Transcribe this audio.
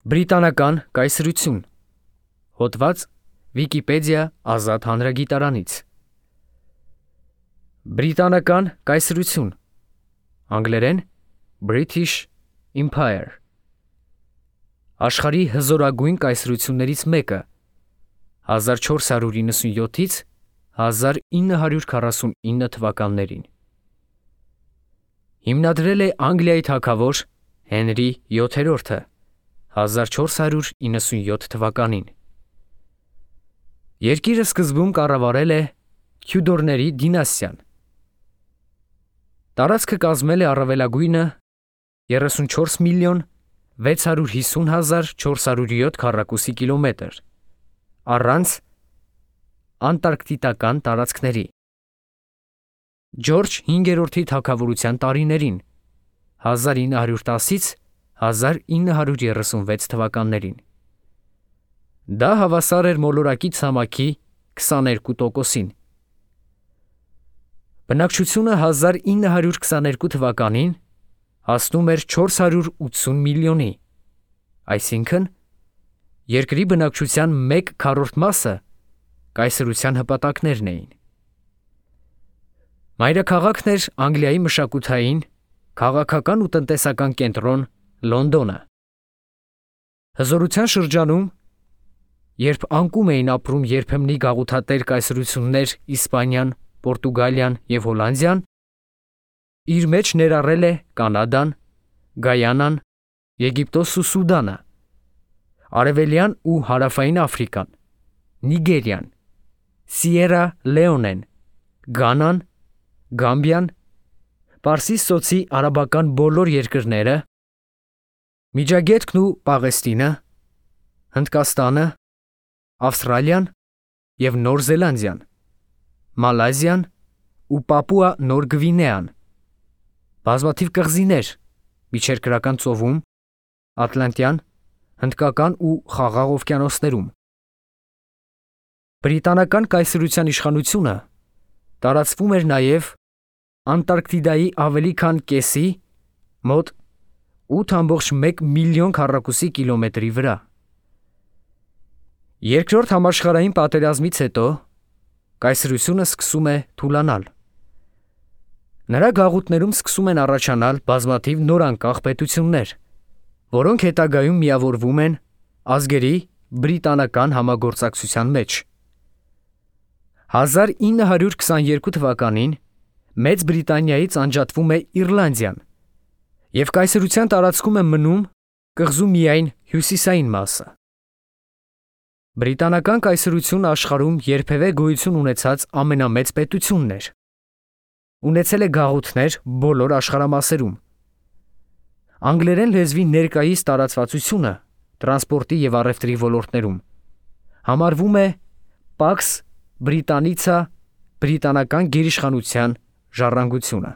Բրիտանական կայսրություն։ Հոդված Վիկիպեդիա ազատ հանրագիտարանից։ Բրիտանական կայսրություն։ Անգլերեն British Empire։ Աշխարհի հզորագույն կայսրություններից մեկը 1497-ից 1949 թվականներին։ Հիմնադրել է Անգլիայի թագավոր Հենրի 7-րդը 1497 թվականին։ Երկիրը սկզբում կառավարել է Թյուդորների դինաստիան։ Տարածքը կազմել է առավելագույնը 34 միլիոն 650 հազար 407 քառակուսի կիլոմետր, առանց անտարկտիկան տարածքների։ Ջորջ 5-րդի թագավորության տարիներին 1910-ից 1936 թվականներին։ Դա հավասար էր մոլորակի ցամաքի 22%-ին։ Բնակչությունը 1922 թվականին հասնում էր 480 միլիոնի, այսինքն երկրի բնակչության 1/4 կայսրության հպատակներն էին։ Մայրաքաղաքն էր Անգլիայի մշակութային, քաղաքական ու տնտեսական կենտրոն Լոնդոնը։ Հզորության շրջանում, երբ անկում էին ապրում երբեմնի գաղութատեր կայսրություններ Իսպանիան, Պորտուգալիան և Հոլանդիան, իր մեջ ներառել է Կանադան, Գայանան, Եգիպտոսն ու Սուդանը, Արևելյան ու Հարավային Աֆրիկան, Նիգերիան, Սիերա Լեոնեն, Գանան, Գամբիան, Պարսից ծոցի արաբական բոլոր երկրները, Միջագետքն ու Պաղեստինը, Հնդկաստանը, Ավստրալիան և Նոր Զելանդիան, Մալայզիան ու Պապուա Նոր Գվինեան, բազմաթիվ կղզիներ Միջերկրական ծովում, Ատլանտյան, Հնդկական ու Խաղաղ օվկիանոսներում։ Բրիտանական կայսրության իշխանությունը տարածվում էր նաև Անտարկտիդայի ավելի քան կեսի, մոտ 8,1 միլիոն քառակուսի կիլոմետրի վրա։ Երկրորդ համաշխարհային պատերազմից հետո կայսրությունը սկսում է թուլանալ։ Նրա գաղութներում սկսում են առաջանալ բազմաթիվ նորանկախ պետություններ, որոնք հետագայում միավորվում են ազգերի բրիտանական համագործակցության մեջ։ 1922 թվականին Մեծ Բրիտանիայից անջատվում է Իռլանդիան, և կայսրության տարածքում է մնում կղզու միայն հյուսիսային մասը։ Բրիտանական կայսրությունը աշխարհում երբևէ գոյություն ունեցած ամենամեծ պետությունն էր։ Ունեցել է գաղութներ բոլոր աշխարհամասերում։ Անգլերեն լեզվի ներկայիս տարածվածությունը տրանսպորտի և առևտրի ոլորտներում համարվում է Pax Britannica բրիտանական գերիշխանության ժառանգությունը։